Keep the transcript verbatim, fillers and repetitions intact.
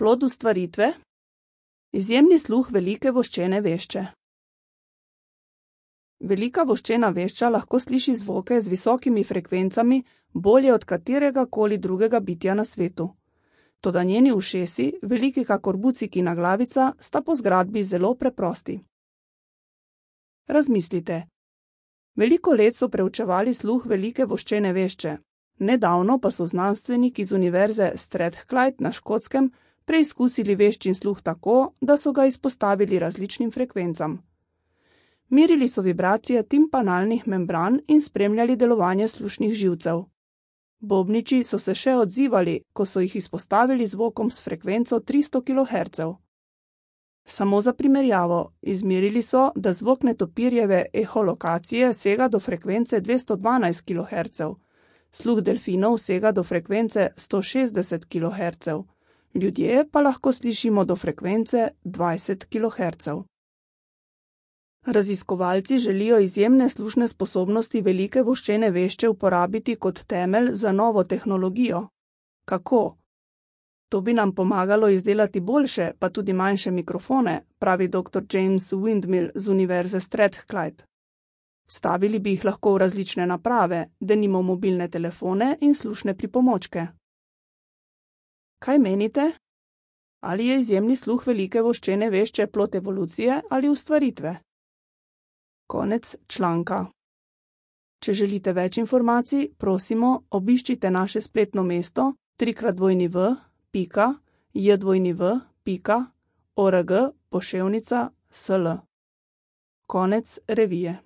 Plod ustvaritve? Izjemni sluh velike voščene vešče. Velika voščena vešča lahko sliši zvoke z visokimi frekvencami bolje od katerega koli drugega bitja na svetu. Toda njeni ušesi, veliki kakor bucikina glavica, sta po zgradbi zelo preprosti. Razmislite. Veliko let so preučevali sluh velike voščene vešče. Nedavno pa so znanstveniki z univerze Strathclyde na Škotskem preizkusili veščin sluh tako, da so ga izpostavili različnim frekvencam. Merili so vibracije timpanalnih membran in spremljali delovanje slušnih živcev. Bobniči so se še odzivali, ko so jih izpostavili zvokom s frekvenco tristo kilohercev. Samo za primerjavo, izmerili so, da zvok netopirjeve eholokacije sega do frekvence dvesto dvanajst kilohercev, sluh delfinov sega do frekvence sto šestdeset kilohercev, ljudje pa lahko slišimo do frekvence dvajset kilohercev. Raziskovalci želijo izjemne slušne sposobnosti velike voščene vešče uporabiti kot temelj za novo tehnologijo. Kako? To bi nam pomagalo izdelati boljše, pa tudi manjše mikrofone, pravi doktor James Windmill z univerze Strathclyde. Vstavili bi jih lahko v različne naprave, denimo mobilne telefone in slušne pripomočke. Kaj menite? Ali je izjemni sluh velike voščene vešče plod evolucije ali ustvaritve? Konec članka. Če želite več informacij, prosimo, obiščite naše spletno mesto trikrat dvojni v pika jdvojni v pika org poševnica sl. Konec revije.